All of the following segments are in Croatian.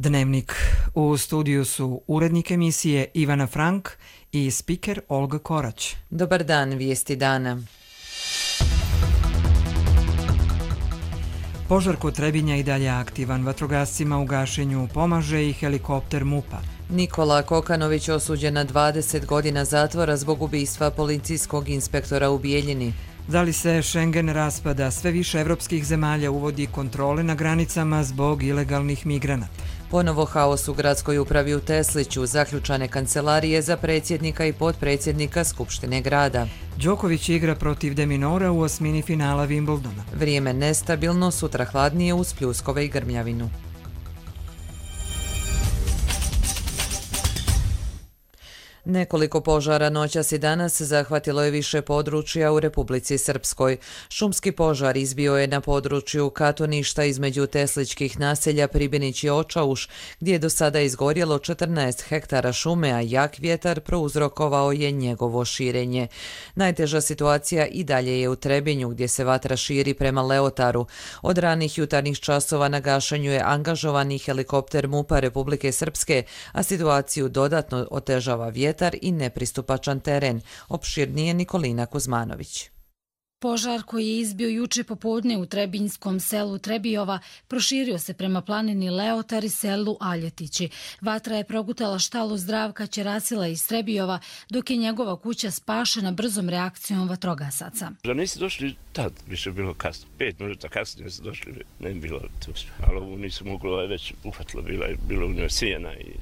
Dnevnik. U studiju su urednik emisije Ivana Frank i spiker Olga Korać. Dobar dan, vijesti dana. Požar kod Trebinja i dalje aktivan. Vatrogascima u gašenju pomaže i helikopter MUP-a. Nikola Kokanović osuđen na 20 godina zatvora zbog ubistva policijskog inspektora u Bijeljini. Da li se Schengen raspada? Sve više evropskih zemalja uvodi kontrole na granicama zbog ilegalnih migranata. Ponovo haos u gradskoj upravi u Tesliću, zaključane kancelarije za predsjednika i potpredsjednika Skupštine grada. Đoković igra protiv De Minaura u osmini finala Wimbledona. Vrijeme nestabilno, sutra hladnije uz pljuskove i grmljavinu. Nekoliko požara noćas i danas zahvatilo je više područja u Republici Srpskoj. Šumski požar izbio je na području Katoništa između tesličkih naselja Pribinić i Očauš, gdje je do sada izgorjelo 14 hektara šume, a jak vjetar prouzrokovao je njegovo širenje. Najteža situacija i dalje je u Trebinju, gdje se vatra širi prema Leotaru. Od ranih jutarnjih časova na gašenju je angažovani helikopter MUP-a Republike Srpske, a situaciju dodatno otežava vjetar i nepristupačan teren. Opširnije Nikolina Kuzmanović. Požar koji je izbio juče popodne u trebinjskom selu Trebijova proširio se prema planini Leotar i selu Aljetići. Vatra je progutala štalu Zdravka Ćerasila iz Trebijova, dok je njegova kuća spašena brzom reakcijom vatrogasaca. Da nisi došli tad, više bilo kasno. 5 minuta kasnije su došli, ne bi bilo tu. Ali ovo nisu moglo, već uhvatilo, bilo u njoj sijena i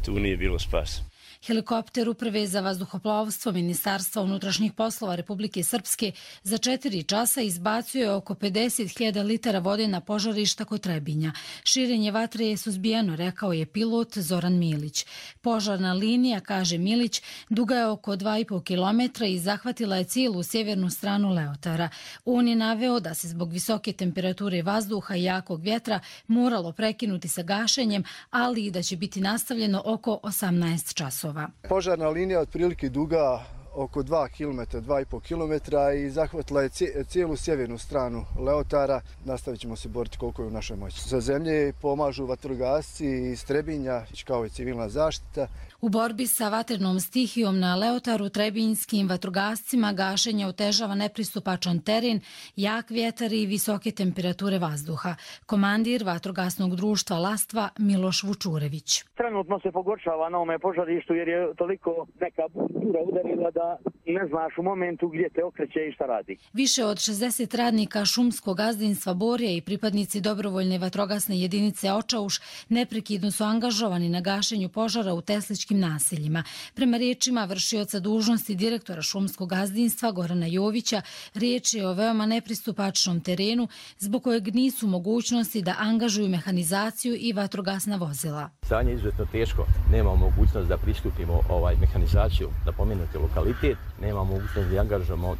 tu nije bilo spasa. Helikopter Uprave za vazduhoplovstvo Ministarstva unutrašnjih poslova Republike Srpske za 4 časa izbacio je oko 50.000 litara vode na požarišta kod Trebinja. Širenje vatre je suzbijeno, rekao je pilot Zoran Milić. Požarna linija, kaže Milić, duga je oko 2,5 km i zahvatila je cijelu sjevernu stranu Leotara. On je naveo da se zbog visoke temperature vazduha i jakog vjetra moralo prekinuti sa gašenjem, ali i da će biti nastavljeno oko 18 časova. Požarna linija je otprilike duga oko 2 km, 2,5 km i zahvatila je cijelu sjevernu stranu Leotara. Nastavit ćemo se boriti koliko je u našoj moći. Za zemlje pomažu vatrogasci iz Trebinja, kao i civilna zaštita. U borbi sa vatrenom stihijom na Leotaru trebinjskim vatrogascima gašenje otežava nepristupačan teren, jak vjetar i visoke temperature vazduha. Komandir vatrogasnog društva Lastva Miloš Vučurević. Trenutno se pogoršava na ovome požarištu jer je toliko neka bura udarila da ne znaš u momentu gdje te okreće i šta radi. Više od 60 radnika šumskog gazdinstva Borje i pripadnici dobrovoljne vatrogasne jedinice Očauš neprekidno su angažovani na gašenju požara u tesličkim naseljima. Prema riječima vršioca dužnosti direktora šumskog gazdinstva Gorana Jovića, riječ je o veoma nepristupačnom terenu zbog kojeg nisu mogućnosti da angažuju mehanizaciju i vatrogasna vozila. Stanje je izuzetno teško. Nemamo mogućnost da pristupimo mehanizaciju, da pomenuti lokalitet, nemamo mogućnost da angažujemo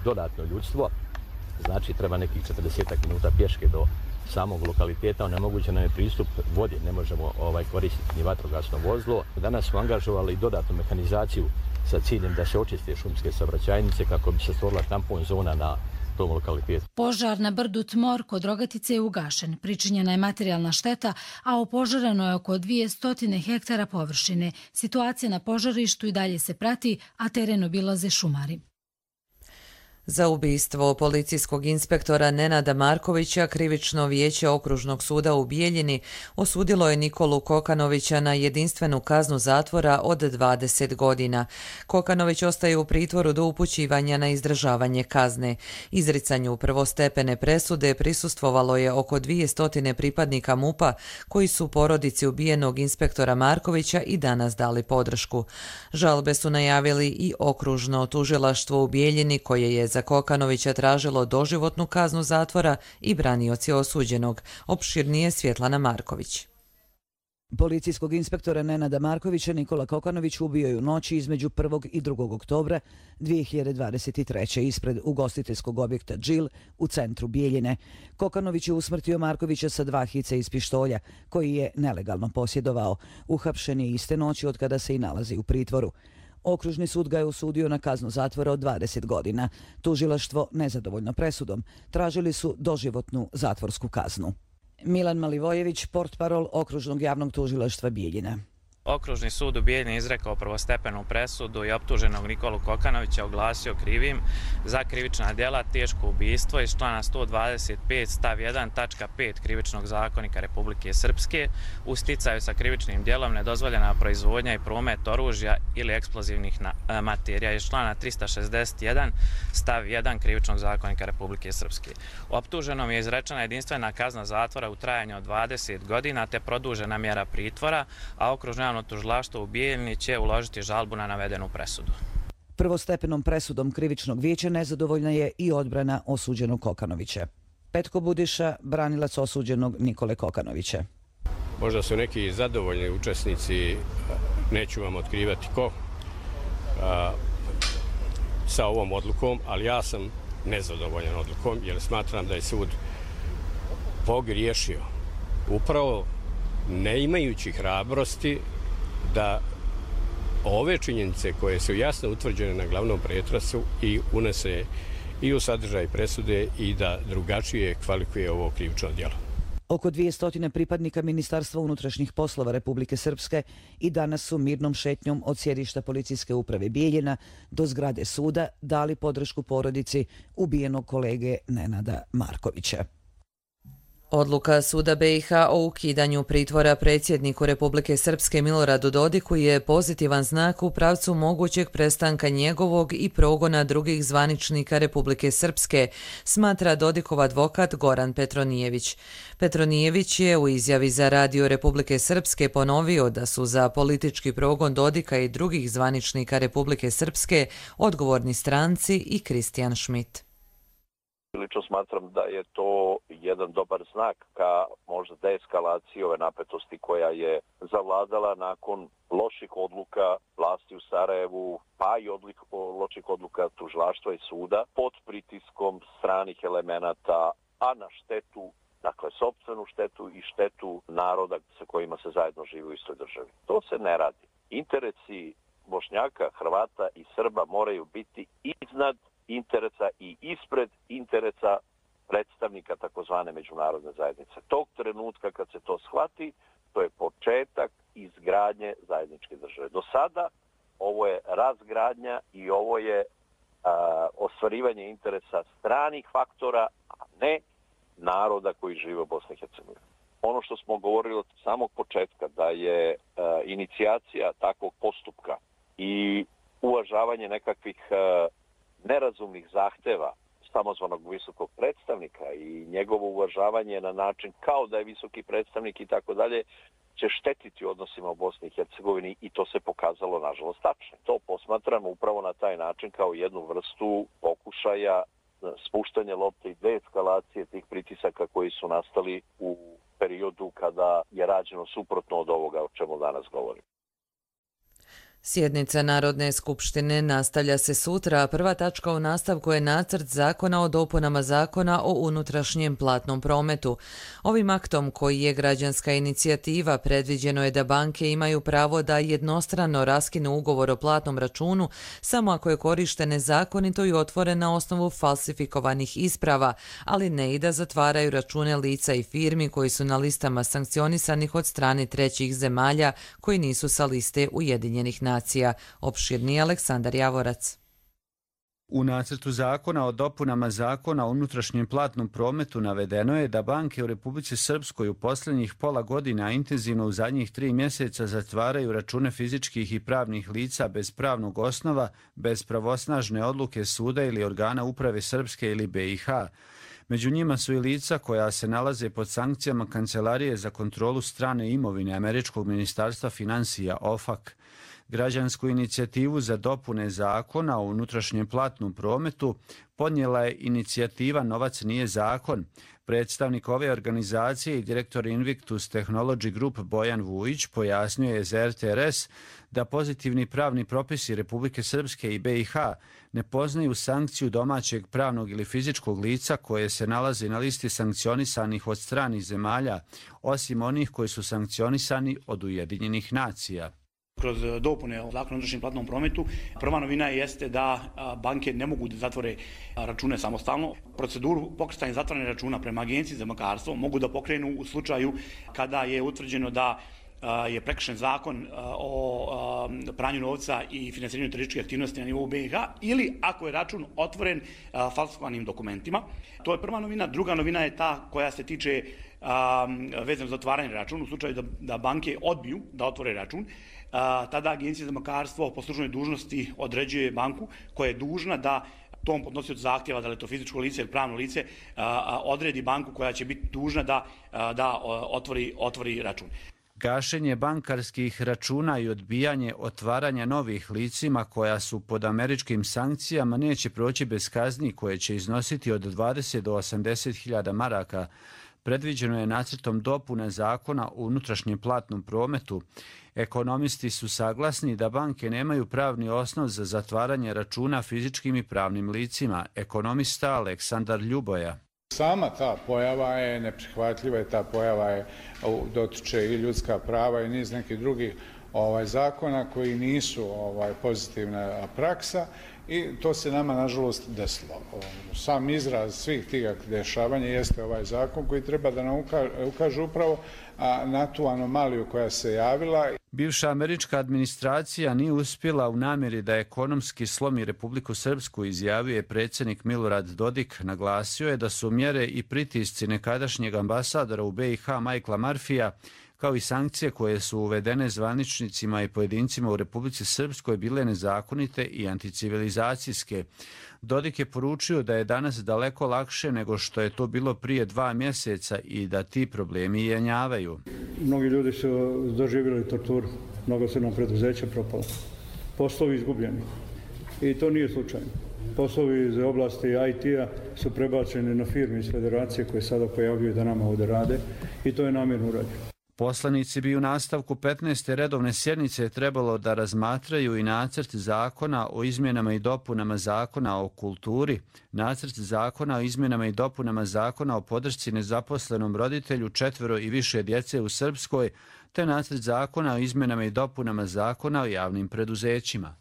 dodatno ljudstvo. Znači treba nekih 40 minuta pješke do samog lokaliteta, onemogućen nam je pristup vodi, ne možemo koristiti ni vatrogasno vozilo. Danas smo angažovali dodatnu mehanizaciju sa ciljem da se očiste šumske saobraćajnice kako bi se stvorila tampon zona na tom lokalitetu. Požar na brdu Tmor kod Rogatice je ugašen. Pričinjena je materijalna šteta, a opožareno je oko 200 hektara površine. Situacija na požarištu i dalje se prati, a teren obilaze šumari. Za ubistvo policijskog inspektora Nenada Markovića krivično vijeće Okružnog suda u Bijeljini osudilo je Nikolu Kokanovića na jedinstvenu kaznu zatvora od 20 godina. Kokanović ostaje u pritvoru do upućivanja na izdržavanje kazne. Izricanju prvostepene presude prisustvovalo je oko 200 pripadnika MUP-a koji su porodici ubijenog inspektora Markovića i danas dali podršku. Žalbe su najavili i Okružno tužilaštvo u Bijeljini koje je za Kokanovića tražilo doživotnu kaznu zatvora i branioci osuđenog. Opširnije Svjetlana Marković. Policijskog inspektora Nenada Markovića Nikola Kokanović ubio je u noći između 1. i 2. oktobra 2023. ispred ugostiteljskog objekta Džil u centru Bijeljine. Kokanović je usmrtio Markovića sa 2 hice iz pištolja, koji je nelegalno posjedovao. Uhapšen je iste noći od kada se i nalazi u pritvoru. Okružni sud ga je osudio na kaznu zatvora od 20 godina. Tužilaštvo, nezadovoljno presudom, tražili su doživotnu zatvorsku kaznu. Milan Malivojević, portparol Okružnog javnog tužilaštva Bijeljina. Okružni sud u Bijeljini izrekao prvostepenu presudu i optuženog Nikolu Kokanovića oglasio krivim za krivična djela teško ubistvo iz člana 125 stav 1 tačka 5 krivičnog zakonika Republike Srpske u sticaju sa krivičnim djelom nedozvoljena proizvodnja i promet oružja ili eksplozivnih materija iz člana 361 stav 1 krivičnog zakonika Republike Srpske. Optuženom je izrečena jedinstvena kazna zatvora u trajanju od 20 godina te produžena mjera pritvora, a Okružno javno tužilaštvo u Bijeljini će uložiti žalbu na navedenu presudu. Prvostepenom presudom krivičnog vijeća nezadovoljna je i odbrana osuđenog Kokanovića. Petko Budiša, branilac osuđenog Nikole Kokanovića. Možda su neki zadovoljni učesnici, neću vam otkrivati ko, sa ovom odlukom, ali ja sam nezadovoljan odlukom jer smatram da je sud pogriješio. Upravo ne imajući hrabrosti da ove činjenice koje su jasno utvrđene na glavnom pretrasu i unese i u sadržaj presude i da drugačije kvalifikuje ovo krivično djelo. Oko 200 pripadnika Ministarstva unutrašnjih poslova Republike Srpske i danas su mirnom šetnjom od sjedišta policijske uprave Bijeljina do zgrade suda dali podršku porodici ubijenog kolege Nenada Markovića. Odluka Suda BiH o ukidanju pritvora predsjedniku Republike Srpske Miloradu Dodiku je pozitivan znak u pravcu mogućeg prestanka njegovog i progona drugih zvaničnika Republike Srpske, smatra Dodikov advokat Goran Petronijević. Petronijević je u izjavi za Radio Republike Srpske ponovio da su za politički progon Dodika i drugih zvaničnika Republike Srpske odgovorni stranci i Kristijan Schmidt. Lično smatram da je to jedan dobar znak ka možda deeskalaciji ove napetosti koja je zavladala nakon loših odluka vlasti u Sarajevu, pa i loših odluka tužilaštva i suda pod pritiskom stranih elemenata, a na štetu, dakle sopstvenu štetu i štetu naroda sa kojima se zajedno živi u istoj državi. To se ne radi. Interesi Bošnjaka, Hrvata i Srba moraju biti iznad interesa i ispred interesa predstavnika takozvane međunarodne zajednice. Tog trenutka kad se to shvati, to je početak izgradnje zajedničke države. Do sada ovo je razgradnja i ovo je ostvarivanje interesa stranih faktora, a ne naroda koji žive u Bosni i Hercegovini. Ono što smo govorili od samog početka, da je inicijacija takvog postupka i uvažavanje nekakvih nerazumnih zahteva samozvanog visokog predstavnika i njegovo uvažavanje na način kao da je visoki predstavnik i tako dalje, će štetiti odnosima u Bosni i Hercegovini i to se pokazalo nažalost tačno. To posmatramo upravo na taj način kao jednu vrstu pokušaja spuštanja lopte i deeskalacije tih pritisaka koji su nastali u periodu kada je rađeno suprotno od ovoga o čemu danas govorim. Sjednica Narodne skupštine nastavlja se sutra, a prva tačka u nastavku je nacrt zakona o dopunama zakona o unutrašnjem platnom prometu. Ovim aktom, koji je građanska inicijativa, predviđeno je da banke imaju pravo da jednostrano raskinu ugovor o platnom računu samo ako je korišten nezakonito i otvoren na osnovu falsifikovanih isprava, ali ne i da zatvaraju račune lica i firmi koji su na listama sankcionisanih od strane trećih zemalja koji nisu sa liste Ujedinjenih nacija. Opširni Aleksandar Javorac. U nacrtu zakona o dopunama zakona o unutrašnjem platnom prometu navedeno je da banke u Republici Srpskoj u posljednjih pola godina intenzivno u zadnjih 3 mjeseca zatvaraju račune fizičkih i pravnih lica bez pravnog osnova, bez pravosnažne odluke suda ili organa uprave Srpske ili BiH. Među njima su i lica koja se nalaze pod sankcijama Kancelarije za kontrolu strane imovine Američkog ministarstva financija OFAC. Građansku inicijativu za dopune zakona o unutrašnjem platnom prometu podnijela je inicijativa Novac nije zakon. Predstavnik ove organizacije i direktor Invictus Technology Group Bojan Vujić pojasnio je za RTRS da pozitivni pravni propisi Republike Srpske i BiH ne poznaju sankciju domaćeg pravnog ili fizičkog lica koje se nalazi na listi sankcionisanih od stranih zemalja, osim onih koji su sankcionisani od Ujedinjenih nacija. Kroz dopune zakona o unutrašnjem platnom prometu, prva novina jeste da banke ne mogu da zatvore račune samostalno. Proceduru pokretanja zatvaranja računa prema Agenciji za bankarstvo mogu da pokrenu u slučaju kada je utvrđeno da je prekršen zakon o pranju novca i finansiranju terorističkih aktivnosti na nivou BiH ili ako je račun otvoren falsifikovanim dokumentima. To je prva novina. Druga novina je ta koja se tiče vezano za otvaranje računa. U slučaju da banke odbiju da otvore račun, tada Agencija za bankarstvo po službenoj dužnosti određuje banku koja je dužna da tom podnosiocu zahtjeva, da li je to fizičko lice ili pravno lice, odredi banku koja će biti dužna da otvori račun. Gašenje bankarskih računa i odbijanje otvaranja novih licima koja su pod američkim sankcijama neće proći bez kazni koje će iznositi od 20 do 80.000 maraka. Predviđeno je nacrtom dopune zakona o unutrašnjem platnom prometu. Ekonomisti su saglasni da banke nemaju pravni osnov za zatvaranje računa fizičkim i pravnim licima. Ekonomista Aleksandar Ljuboja. Sama ta pojava je neprihvatljiva i ta pojava je dotiče i ljudska prava i niz nekih drugih zakona koji nisu pozitivna praksa i to se nama nažalost desilo. Sam izraz svih tih dešavanja jeste ovaj zakon koji treba da nam ukaže upravo na tu anomaliju koja se javila. Bivša američka administracija nije uspjela u namjeri da ekonomski slomi Republiku Srpsku, izjavio je predsjednik Milorad Dodik. Naglasio je da su mjere i pritisci nekadašnjeg ambasadora u BiH Michaela Murphyja, kao i sankcije koje su uvedene zvaničnicima i pojedincima u Republici Srpskoj bile nezakonite i anticivilizacijske. Dodik je poručio da je danas daleko lakše nego što je to bilo prije 2 mjeseca i da ti problemi jenjavaju. Mnogi ljudi su doživjeli torturu, mnogo su nam preduzeća propala, poslovi izgubljeni i to nije slučajno. Poslovi iz oblasti IT-a su prebačeni na firme iz federacije koje sada pojavljuju da nama ovdje rade i to je namjerno urađeno. Poslanici bi u nastavku 15. redovne sjednice trebalo da razmatraju i nacrt zakona o izmjenama i dopunama zakona o kulturi, nacrt zakona o izmjenama i dopunama zakona o podršci nezaposlenom roditelju 4 i više djece u Srpskoj, te nacrt zakona o izmjenama i dopunama zakona o javnim preduzećima.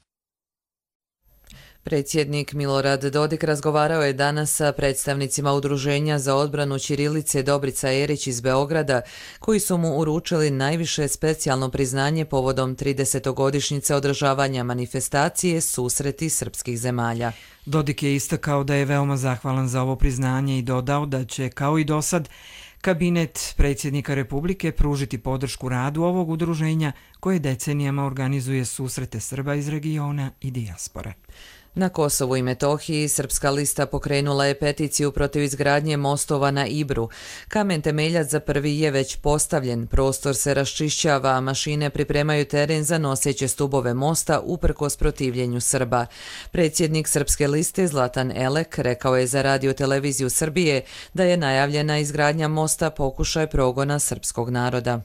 Predsjednik Milorad Dodik razgovarao je danas sa predstavnicima Udruženja za odbranu ćirilice Dobrica Erić iz Beograda, koji su mu uručili najviše specijalno priznanje povodom 30-godišnjice održavanja manifestacije Susreti srpskih zemalja. Dodik je istakao da je veoma zahvalan za ovo priznanje i dodao da će, kao i dosad, kabinet predsjednika Republike pružiti podršku radu ovog udruženja koje decenijama organizuje susrete Srba iz regiona i dijaspore. Na Kosovu i Metohiji Srpska lista pokrenula je peticiju protiv izgradnje mostova na Ibru. Kamen temeljac za prvi je već postavljen, prostor se raščišćava, a mašine pripremaju teren za noseće stubove mosta uprkos protivljenju Srba. Predsjednik Srpske liste Zlatan Elek rekao je za Radio televiziju Srbije da je najavljena izgradnja mosta pokušaj progona srpskog naroda.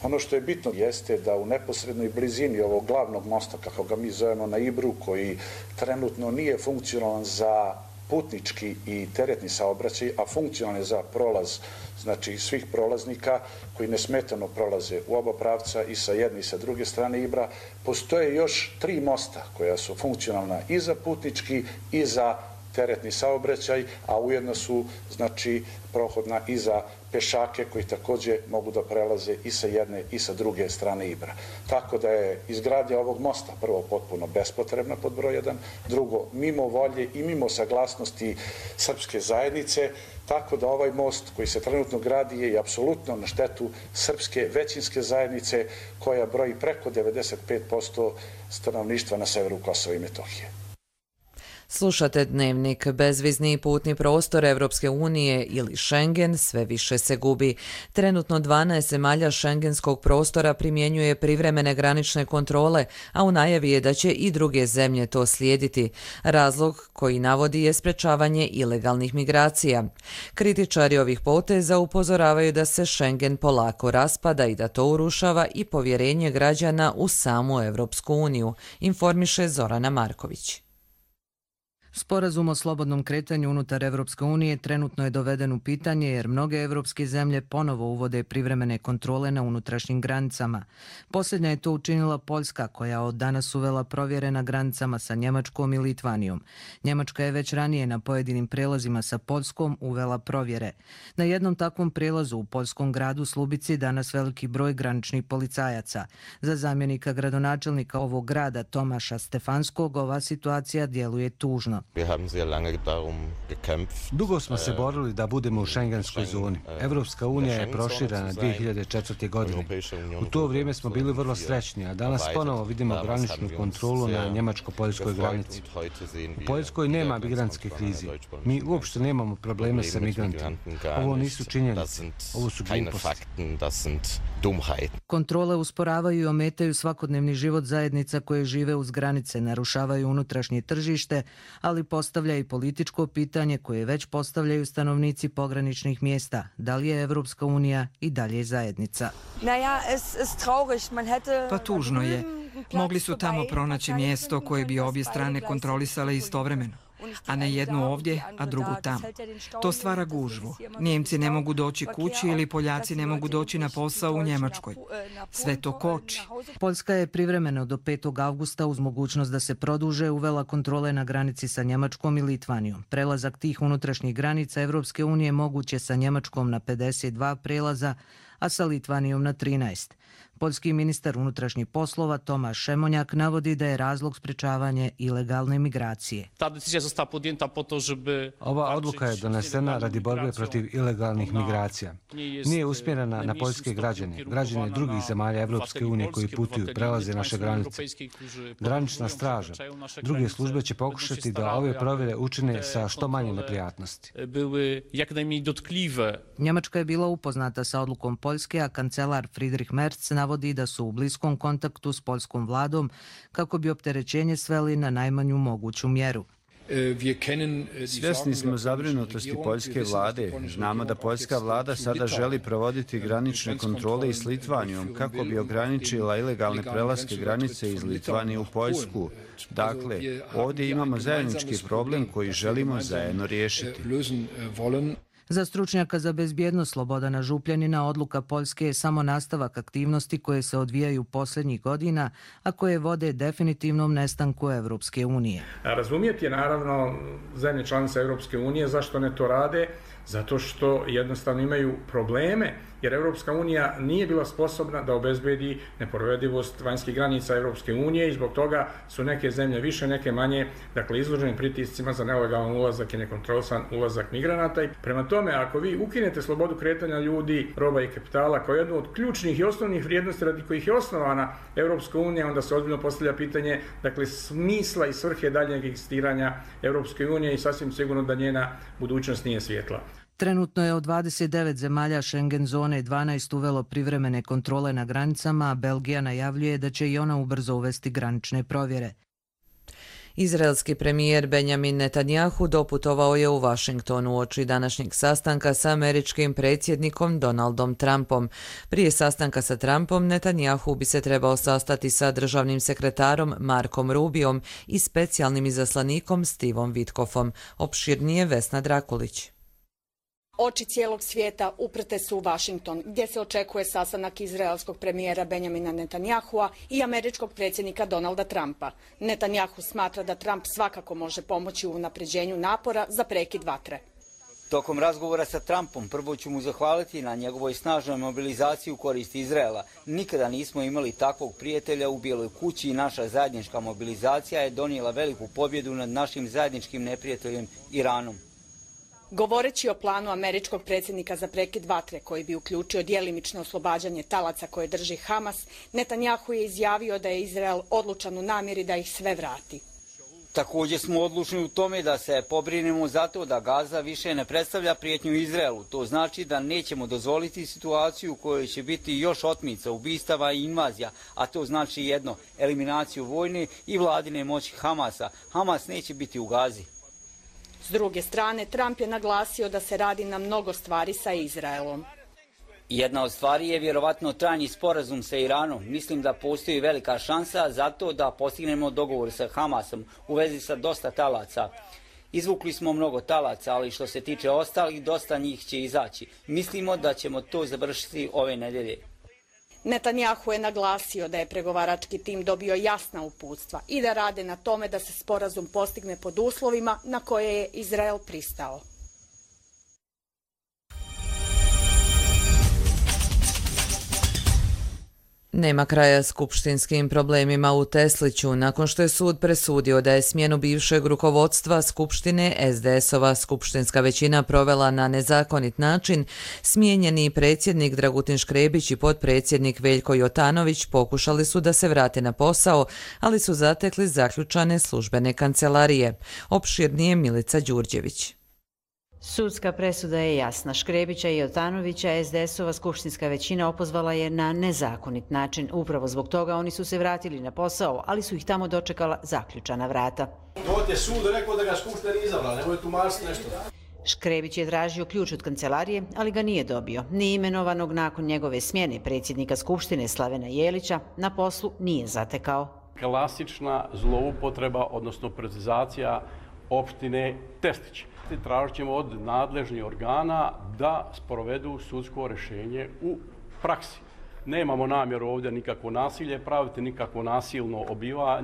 Ono što je bitno jeste da u neposrednoj blizini ovog glavnog mosta, kako ga mi zovemo na Ibru, koji trenutno nije funkcionalan za putnički i teretni saobraćaj, a funkcionalan je za prolaz, znači svih prolaznika koji nesmetano prolaze u oba pravca i sa jedne i sa druge strane Ibra, postoje još 3 mosta koja su funkcionalna i za putnički i za teretni saobraćaj, a ujedno su znači prohodna i za pešake koji također mogu da prelaze i sa jedne i sa druge strane Ibra. Tako da je izgradnja ovog mosta prvo potpuno bespotrebna pod broj 1, drugo mimo volje i mimo saglasnosti srpske zajednice, tako da ovaj most koji se trenutno gradi je apsolutno na štetu srpske većinske zajednice koja broji preko 95% stanovništva na severu Kosova i Metohije. Slušate Dnevnik. Bezvizni putni prostor Evropske unije ili Schengen sve više se gubi. Trenutno 12 zemalja šengenskog prostora primjenjuje privremene granične kontrole, a u najavi je da će i druge zemlje to slijediti. Razlog koji navodi je sprečavanje ilegalnih migracija. Kritičari ovih poteza upozoravaju da se Schengen polako raspada i da to urušava i povjerenje građana u samu Evropsku uniju, informiše Zorana Marković. Sporazum o slobodnom kretanju unutar Evropske unije trenutno je doveden u pitanje jer mnoge evropske zemlje ponovo uvode privremene kontrole na unutrašnjim granicama. Posljednja je to učinila Poljska, koja od danas uvela provjere na granicama sa Njemačkom i Litvanijom. Njemačka je već ranije na pojedinim prelazima sa Poljskom uvela provjere. Na jednom takvom prelazu u poljskom gradu Slubici danas veliki broj graničnih policajaca. Za zamjenika gradonačelnika ovog grada Tomaša Stefanskog ova situacija djeluje tužno. Dugo smo se borili da budemo u šengenskoj zoni. Evropska unija je proširena 2004. godine. U to vrijeme smo bili vrlo srećni, a danas ponovo vidimo graničnu kontrolu na njemačko-poljskoj granici. U Poljskoj nema migrantske krize. Mi uopšte nemamo probleme sa migrantima. Ovo nisu činjenice, ovo su gluposti. Kontrole usporavaju i ometaju svakodnevni život zajednica koje žive uz granice, narušavaju unutrašnje tržište, ali postavlja i političko pitanje koje već postavljaju stanovnici pograničnih mjesta. Da li je Evropska unija i dalje zajednica? Pa tužno je. Mogli su tamo pronaći mjesto koje bi obje strane kontrolisale istovremeno, a ne jednu ovdje, a drugu tamo. To stvara gužvu. Nijemci ne mogu doći kući ili Poljaci ne mogu doći na posao u Njemačkoj. Sve to koči. Poljska je privremeno do 5. avgusta uz mogućnost da se produže uvela kontrole na granici sa Njemačkom i Litvanijom. Prelazak tih unutrašnjih granica Evropske unije moguće sa Njemačkom na 52 prelaza, a sa Litvanijom na 13. Poljski ministar unutrašnjih poslova Tomaš Šemonjak navodi da je razlog sprečavanje ilegalne migracije. Ova odluka je donesena radi borbe protiv ilegalnih migracija. Nije usmjerena na poljske građane, građane drugih zemalja Evropske unije koji putuju, prelaze naše granice. Granična straža, druge službe će pokušati da ove provjere učine sa što manje neprijatnosti. Njemačka je bila upoznata sa odlukom Poljske, a kancelar Friedrich Merz navodi da su u bliskom kontaktu s poljskom vladom kako bi opterećenje sveli na najmanju moguću mjeru. Svjesni smo zabrinutosti poljske vlade. Znamo da poljska vlada sada želi provoditi granične kontrole i s Litvanijom kako bi ograničila ilegalne prelaske granice iz Litvanije u Poljsku. Dakle, ovdje imamo zajednički problem koji želimo zajedno riješiti. Za stručnjaka za bezbjednost Slobodana Župljanina odluka Poljske je samo nastavak aktivnosti koje se odvijaju posljednjih godina, a koje vode definitivnom nestanku Evropske unije. Razumijeti je naravno zemlje članice Evropske unije zašto ne to rade, zato što jednostavno imaju probleme, jer Evropska unija nije bila sposobna da obezbedi nepovredivost vanjskih granica Evropske unije i zbog toga su neke zemlje više, neke manje, dakle izložene pritiscima za nelegalan ulazak i nekontrolisan ulazak migranata. I prema tome, ako vi ukinete slobodu kretanja ljudi, roba i kapitala kao jednu od ključnih i osnovnih vrijednosti radi kojih je osnovana Evropska unija, onda se ozbiljno postavlja pitanje, dakle, smisla i svrhe daljnjeg egzistiranja Evropske unije i sasvim sigurno da njena budućnost nije svjetla. Trenutno je od 29 zemalja Schengen zone 12 uvelo privremene kontrole na granicama, a Belgija najavljuje da će i ona ubrzo uvesti granične provjere. Izraelski premijer Benjamin Netanjahu doputovao je u Washington uoči današnjeg sastanka sa američkim predsjednikom Donaldom Trumpom. Prije sastanka sa Trumpom, Netanjahu bi se trebao sastati sa državnim sekretarom Markom Rubiom i specijalnim izaslanikom Stevom Witkoffom. Opširnije Vesna Drakulić. Oči cijelog svijeta uprte su u Washington, gdje se očekuje sastanak izraelskog premijera Benjamina Netanjahua i američkog predsjednika Donalda Trumpa. Netanjahu smatra da Trump svakako može pomoći u unapređenju napora za prekid vatre. Tokom razgovora sa Trumpom prvo ću mu zahvaliti na njegovoj snažnoj mobilizaciji u korist Izraela. Nikada nismo imali takvog prijatelja u Bijeloj kući i naša zajednička mobilizacija je donijela veliku pobjedu nad našim zajedničkim neprijateljem Iranom. Govoreći o planu američkog predsjednika za prekid vatre, koji bi uključio djelimično oslobađanje talaca koje drži Hamas, Netanjahu je izjavio da je Izrael odlučan u namjeri da ih sve vrati. Također smo odlučni u tome da se pobrinemo za to da Gaza više ne predstavlja prijetnju Izraelu. To znači da nećemo dozvoliti situaciju u kojoj će biti još otmica, ubistava i invazija, a to znači jedno, eliminaciju vojne i vladine moći Hamasa. Hamas neće biti u Gazi. S druge strane, Trump je naglasio da se radi na mnogo stvari sa Izraelom. Jedna od stvari je vjerovatno trajni sporazum sa Iranom. Mislim da postoji velika šansa za to da postignemo dogovor sa Hamasom u vezi sa dosta talaca. Izvukli smo mnogo talaca, ali što se tiče ostalih, dosta njih će izaći. Mislimo da ćemo to završiti ove nedelje. Netanjahu je naglasio da je pregovarački tim dobio jasna uputstva i da rade na tome da se sporazum postigne pod uslovima na koje je Izrael pristao. Nema kraja skupštinskim problemima u Tesliću. Nakon što je sud presudio da je smjenu bivšeg rukovodstva Skupštine SDS-ova skupštinska većina provela na nezakonit način, smijenjeni predsjednik Dragutin Škrebić i potpredsjednik Veljko Jotanović pokušali su da se vrate na posao, ali su zatekli zaključane službene kancelarije. Opširnije Milica Đurđević. Sudska presuda je jasna. Škrebića i Jotanovića SDS-ova skupštinska većina opozvala je na nezakonit način. Upravo zbog toga oni su se vratili na posao, ali su ih tamo dočekala zaključana vrata. To je sud rekao da ga skupština nije izabrala, nemoj tumačiti nešto. Škrebić je tražio ključ od kancelarije, ali ga nije dobio. Ni imenovanog nakon njegove smjene predsjednika Skupštine Slavena Jelića na poslu nije zatekao. Klasična zloupotreba, odnosno precizacija opštine Teslić. Tražit ćemo od nadležnih organa da sprovedu sudsko rješenje u praksi. Nemamo namjeru ovdje nikakvo nasilje praviti, nikakvo nasilno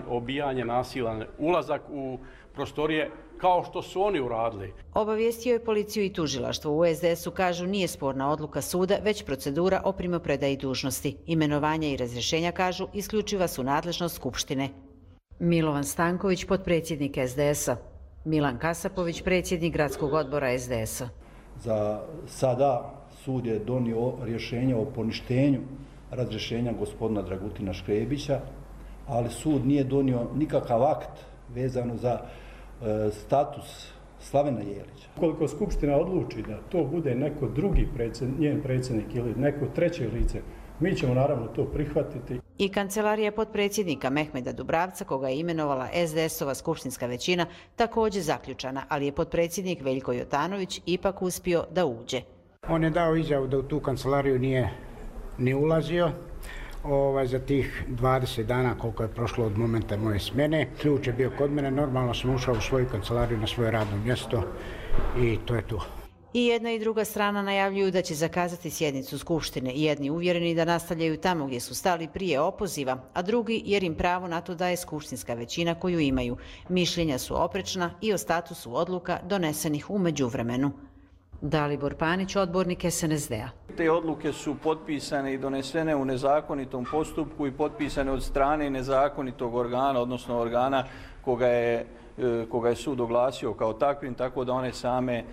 obijanje, nasilan ulazak u prostorije, kao što su oni uradili. Obavijestio je policiju i tužilaštvo. U SDS-u kažu nije sporna odluka suda, već procedura o primopredaji dužnosti. Imenovanja i razrješenja, kažu, isključiva su nadležnost Skupštine. Milovan Stanković, potpredsjednik SDS-a. Milan Kasapović, predsjednik gradskog odbora SDS-a. Za sada sud je donio rješenje o poništenju razrješenja gospodina Dragutina Škrebića, ali sud nije donio nikakav akt vezano za status Slavena Jelića. Ukoliko Skupština odluči da to bude neko drugi njen predsjednik ili neko treće lice, mi ćemo naravno to prihvatiti. I kancelarija potpredsjednika Mehmeda Dubravca, koga je imenovala SDS-ova skupštinska većina, također zaključana, ali je potpredsjednik Veljko Jotanović ipak uspio da uđe. On je dao izjavu da u tu kancelariju nije ni ulazio za tih 20 dana koliko je prošlo od momenta moje smjene. Ključ je bio kod mene, normalno sam ušao u svoju kancelariju na svoje radno mjesto i to je to. I jedna i druga strana najavljuju da će zakazati sjednicu Skupštine. Jedni uvjereni da nastavljaju tamo gdje su stali prije opoziva, a drugi jer im pravo na to daje skupštinska većina koju imaju. Mišljenja su oprečna i o statusu odluka donesenih u međuvremenu. Dalibor Panić, odbornik SNSD-a. Te odluke su potpisane i donesene u nezakonitom postupku i potpisane od strane nezakonitog organa, odnosno organa koga je sud oglasio kao takvim, tako da one same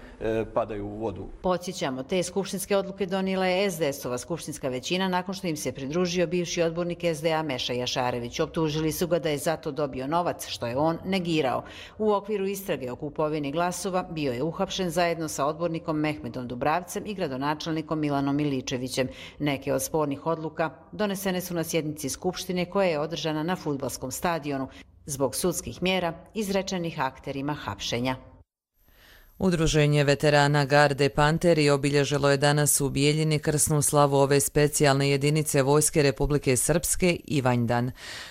padaju u vodu. Podsjećamo, te skupštinske odluke donijela je SDS-ova skupštinska većina nakon što im se pridružio bivši odbornik SDA Meša Jašarević. Optužili su ga da je zato dobio novac, što je on negirao. U okviru istrage o kupovini glasova bio je uhapšen zajedno sa odbornikom Mehmedom Dubravcem i gradonačelnikom Milanom Miličevićem. Neke od spornih odluka donesene su na sjednici Skupštine koja je održana na fudbalskom stadionu zbog sudskih mjera izrečenih akterima hapšenja. Udruženje veterana Garde Panteri obilježilo je danas u Bijeljini krsnu slavu ove specijalne jedinice Vojske Republike Srpske Ivanjdan.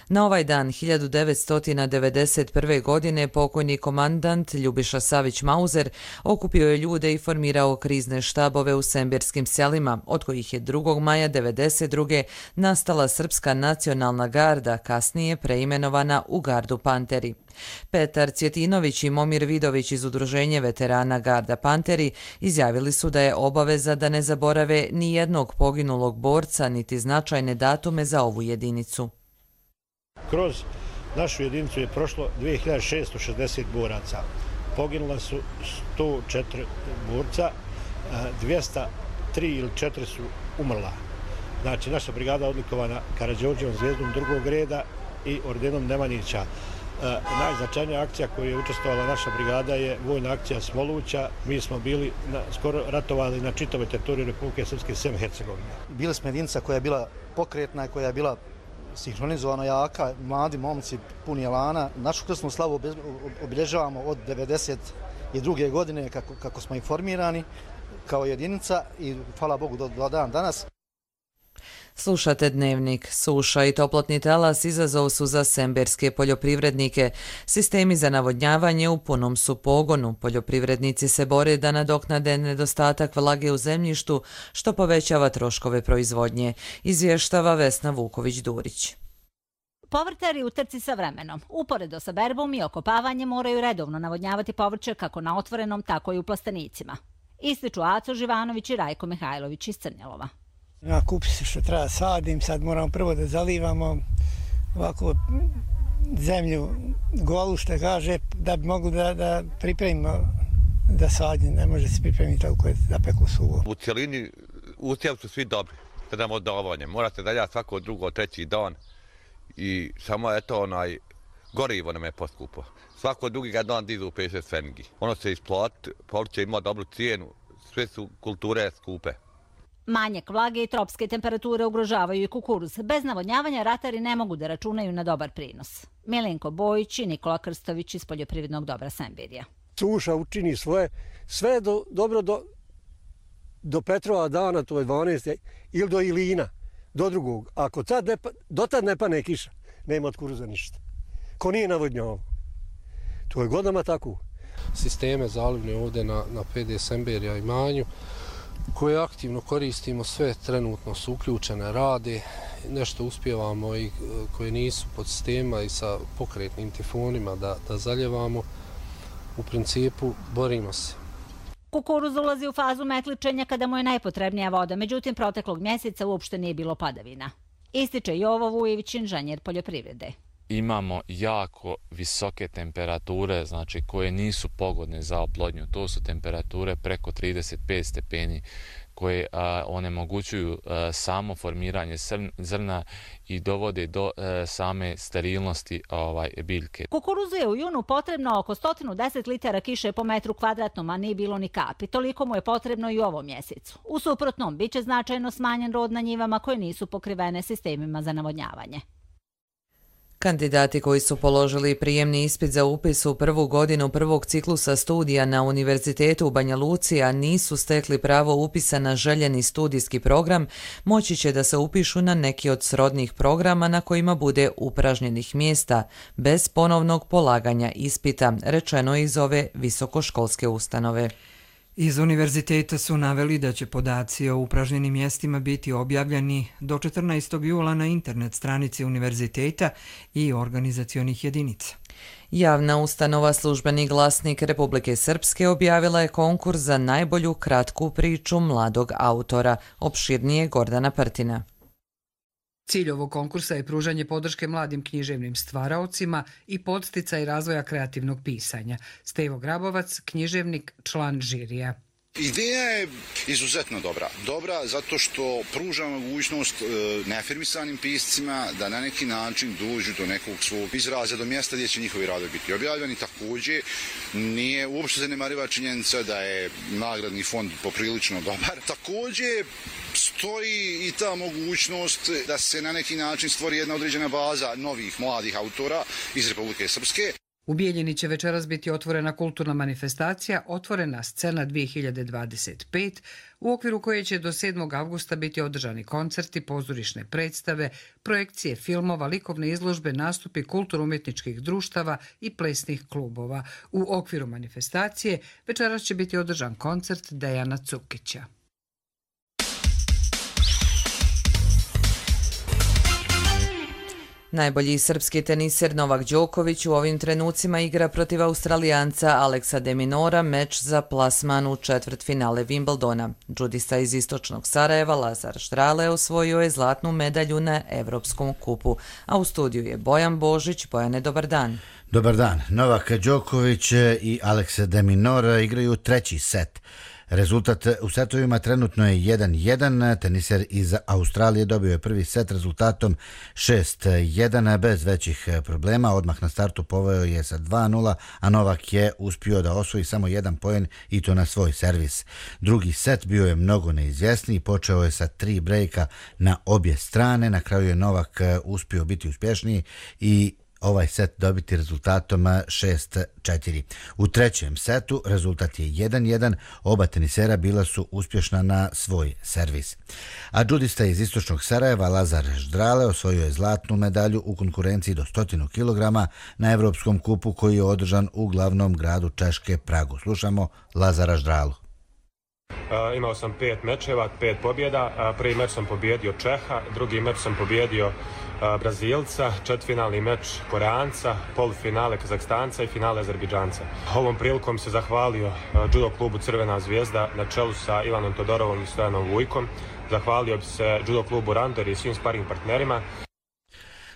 Na ovaj dan 1991. godine pokojni komandant Ljubiša Savić-Mauzer okupio je ljude i formirao krizne štabove u sembirskim selima, od kojih je 2. maja 1992. nastala Srpska nacionalna garda, kasnije preimenovana u Gardu Panteri. Petar Cvjetinović i Momir Vidović iz Udruženja veterana Garda Panteri izjavili su da je obaveza da ne zaborave ni jednog poginulog borca niti značajne datume za ovu jedinicu. Kroz našu jedinicu je prošlo 2660 boraca. Poginula su 104 borca, 203 ili 4 su umrla. Znači, naša brigada odlikovana Karađorđevom zvijezdom drugog reda i ordenom Nemanjića. Najznačajnija akcija koju je učestvovala naša brigada je vojna akcija Smoluća. Mi smo bili skoro ratovali na čitavoj teritoriji Republike Srpske sem Hercegovine. Bili smo jedinica koja je bila pokretna i koja je bila sinhronizovana, jaka, mladi momci, puni elana. Našu krsnu slavu obilježavamo od 1992. godine kako smo informirani kao jedinica i hvala Bogu do dan danas. Slušate Dnevnik. Suša i toplotni talas izazov su za semberske poljoprivrednike. Sistemi za navodnjavanje u punom su pogonu. Poljoprivrednici se bore da nadoknade nedostatak vlage u zemljištu, što povećava troškove proizvodnje, izvještava Vesna Vuković-Durić. Povrtari u trci sa vremenom, uporedo sa berbom i okopavanjem, moraju redovno navodnjavati povrće kako na otvorenom, tako i u plastenicima. Ističu Aco Živanović i Rajko Mihajlović iz Crnjelova. Ja kupi se što treba sadim, sad moramo prvo da zalivamo ovako zemlju golu, što kaže, da bi mogli da pripremimo da sadim. Ne može se pripremiti tako da peku suvo. U cijelini usjevi su svi dobri, sada odavanje. Morate daljati svako drugo, treći dan i samo eto gorivo nam je poskupo. Svako drugi dan dizu 50 fengi. Ono se isplati, povrće ima dobru cijenu, sve su kulture skupe. Manjak vlage i tropske temperature ugrožavaju i kukuruz. Bez navodnjavanja ratari ne mogu da računaju na dobar prinos. Milenko Bojić i Nikola Krstović iz Poljoprivrednog dobra Semberija. Suša učini svoje, sve dobro do Petrova dana, to je 12. ili do Ilina, do drugog. Ako do tad ne pane kiša, nema od kukuruza ništa. Ko nije navodnjavao. To je godinama tako. Sisteme zalivne ovdje na PD Semberija i Manju, koje aktivno koristimo, sve trenutno su uključene, rade, nešto uspijevamo i koje nisu pod sistema i sa pokretnim tifonima da zaljevamo. U principu borimo se. Kukuruz ulazi u fazu metličenja kada mu je najpotrebnija voda, međutim proteklog mjeseca uopšte nije bilo padavina. Ističe Jovo Vujević, inženjer poljoprivrede. Imamo jako visoke temperature, znači koje nisu pogodne za oplodnju. To su temperature preko 35 stepeni koje onemogućuju samo formiranje zrna i dovode do same sterilnosti biljke. Kukuruzu je u junu potrebno oko 110 litara kiše po metru kvadratnom, a nije bilo ni kapi. Toliko mu je potrebno i u ovom mjesecu. U suprotnom, bit će značajno smanjen rod na njivama koje nisu pokrivene sistemima za navodnjavanje. Kandidati koji su položili prijemni ispit za upis u prvu godinu prvog ciklusa studija na Univerzitetu u Banja Luci, a nisu stekli pravo upisa na željeni studijski program, moći će da se upišu na neki od srodnih programa na kojima bude upražnjenih mjesta, bez ponovnog polaganja ispita, rečeno iz ove visokoškolske ustanove. Iz univerziteta su naveli da će podaci o upražnjenim mjestima biti objavljeni do 14. jula na internet stranici univerziteta i organizacionih jedinica. Javna ustanova Službeni glasnik Republike Srpske objavila je konkurs za najbolju kratku priču mladog autora, opširnije Gordana Prtina. Cilj ovog konkursa je pružanje podrške mladim književnim stvaraocima i podsticaj razvoja kreativnog pisanja. Stevo Grabovac, književnik, član žirija. Ideja je izuzetno dobra. Dobra zato što pruža mogućnost neafirmisanim piscima da na neki način dođu do nekog svog izraza, do mjesta gdje će njihovi radovi biti objavljeni. Također nije uopšte zanemariva činjenica da je nagradni fond poprilično dobar. Također stoji i ta mogućnost da se na neki način stvori jedna određena baza novih mladih autora iz Republike Srpske. U Bijeljini će večeras biti otvorena kulturna manifestacija Otvorena scena 2025, u okviru koje će do 7. avgusta biti održani koncerti, pozorišne predstave, projekcije filmova, likovne izložbe, nastupi kulturno-umjetničkih društava i plesnih klubova. U okviru manifestacije večeras će biti održan koncert Dejana Cukića. Najbolji srpski teniser Novak Đoković u ovim trenucima igra protiv Australijanca Aleksa de Minaura meč za plasman u četvrtfinale Wimbledona. Džudista iz istočnog Sarajeva Lazar Štrale osvojio je zlatnu medalju na Evropskom kupu, a u studiju je Bojan Božić. Bojane, dobar dan. Dobar dan. Novak Đoković i Aleksa de Minaur igraju treći set. Rezultat u setovima trenutno je 1-1. Teniser iz Australije dobio je prvi set rezultatom 6-1 bez većih problema. Odmah na startu poveo je sa 2-0, a Novak je uspio da osvoji samo jedan poen i to na svoj servis. Drugi set bio je mnogo neizvjesniji, počeo je sa 3 brejka na obje strane. Na kraju je Novak uspio biti uspješniji i ovaj set dobiti rezultatom 6-4. U trećem setu rezultat je 1-1, oba tenisera bila su uspješna na svoj servis. A džudista iz istočnog Sarajeva Lazar Ždrale osvojio je zlatnu medalju u konkurenciji do 100 kg na Evropskom kupu koji je održan u glavnom gradu Češke, Pragu. Slušamo Lazara Ždralu. Imao sam 5 mečeva, 5 pobjeda. Prvi meč sam pobjedio Čeha, drugi meč sam pobjedio Brazilca, četvrtfinalni meč Koreanca, polufinale Kazahstanca i finale Azerbejdžanca. Ovom prilikom se zahvalio judo klubu Crvena zvijezda na čelu sa Ivanom Todorovom i Stojanom Vujkom. Zahvalio bi se judo klubu Randor i svim sparing partnerima.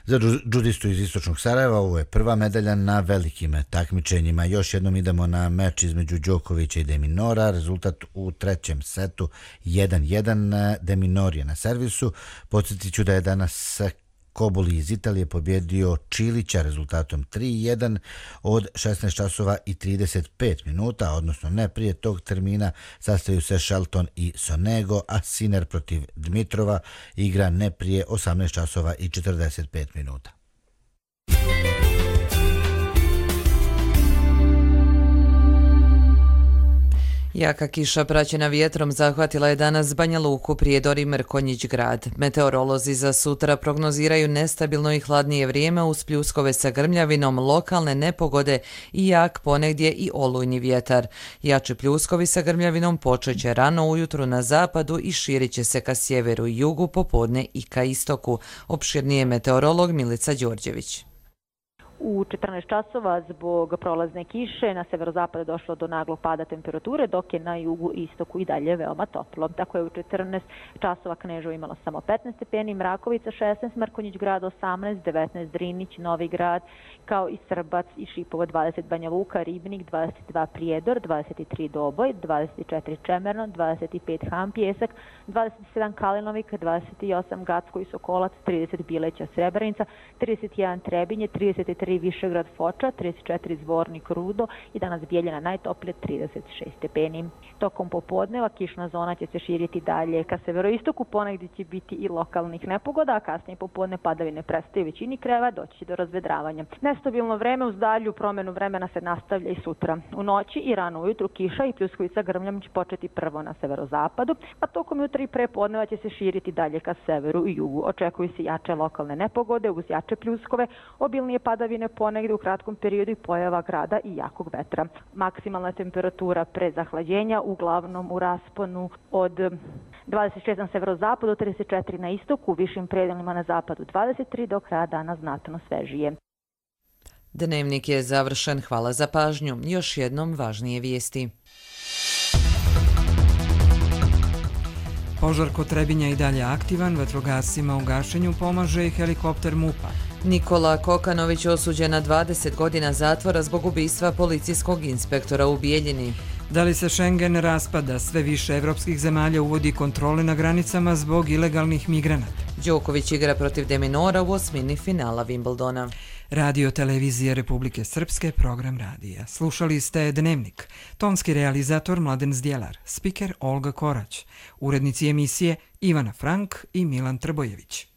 Za džudistu iz istočnog Sarajeva ovo je prva medalja na velikim takmičenjima. Još jednom idemo na meč između Đokovića i De Minora. Rezultat u trećem setu 1-1. De Minor je na servisu. Podsjetit ću da je danas Kobuli iz Italije pobjedio Čilića rezultatom 3-1 od 16 časova i 35 minuta, odnosno ne prije tog termina sastaju se Shelton i Sonego, a Sinner protiv Dmitrova igra ne prije 18 časova i 45 minuta. Jaka kiša praćena vjetrom zahvatila je danas Banja Luku, Prijedor i Mrkonjić grad. Meteorolozi za sutra prognoziraju nestabilno i hladnije vrijeme uz pljuskove sa grmljavinom, lokalne nepogode i jak ponegdje i olujni vjetar. Jači pljuskovi sa grmljavinom počet će rano ujutru na zapadu i širit će se ka sjeveru i jugu, popodne i ka istoku. Opširnije meteorolog Milica Đorđević. U 14 časova zbog prolazne kiše na severozapadu došlo do naglog pada temperature, dok je na jugu i istoku i dalje veoma toplo. Tako je u 14 časova Kneževo imalo samo 15 stepeni, Mrakovica 16, Mrkonjić grad 18, 19 Drinić, Novi grad, kao i Srbac i Šipovo 20, Banja Luka, Ribnik 22, Prijedor 23, Doboj 24, Čemerno 25, Han Pjesak 27, Kalinovik 28, Gacko i Sokolac 30, Bileća Srebrenica 31, Trebinje 33, Višegrad Foča, 34 Zvornik Rudo i danas Bijeljina najtoplije 36 stepeni. Tokom popodneva kišna zona će se širiti dalje ka severoistoku, ponegdje će biti i lokalnih nepogoda, a kasnije popodne padavine prestaju većini krajeva, doći će do razvedravanja. Nestabilno vreme uz dalju promjenu vremena se nastavlja i sutra. U noći i rano ujutru kiša i pljuskovica grmljom će početi prvo na severozapadu, a tokom jutra i prepodneva će se širiti dalje ka severu i jugu. Očekuju se jače lokalne nepogode uz jače pljuskove, obilnije padavine ponegdje u kratkom periodu i pojava grada i jakog vetra. Maksimalna temperatura pre zahlađenja uglavnom u rasponu od 26 na severozapadu, 34 na istoku, u višim predelima na zapadu 23, do kraja dana znatno svežije. Dnevnik je završen. Hvala za pažnju. Još jednom važnije vijesti. Požar kod Trebinja i dalje aktivan, vatrogascima u gašenju pomaže i helikopter MUP-a. Nikola Kokanović osuđen na 20 godina zatvora zbog ubistva policijskog inspektora u Bijeljini. Da li se Schengen raspada, sve više evropskih zemalja uvodi kontrole na granicama zbog ilegalnih migranata. Đoković igra protiv De Minora u osmini finala Wimbledona. Radio Televizije Republike Srpske, program radija. Slušali ste Dnevnik. Tonski realizator Mladen Zdjelar, spiker Olga Korać, urednici emisije Ivana Frank i Milan Trbojević.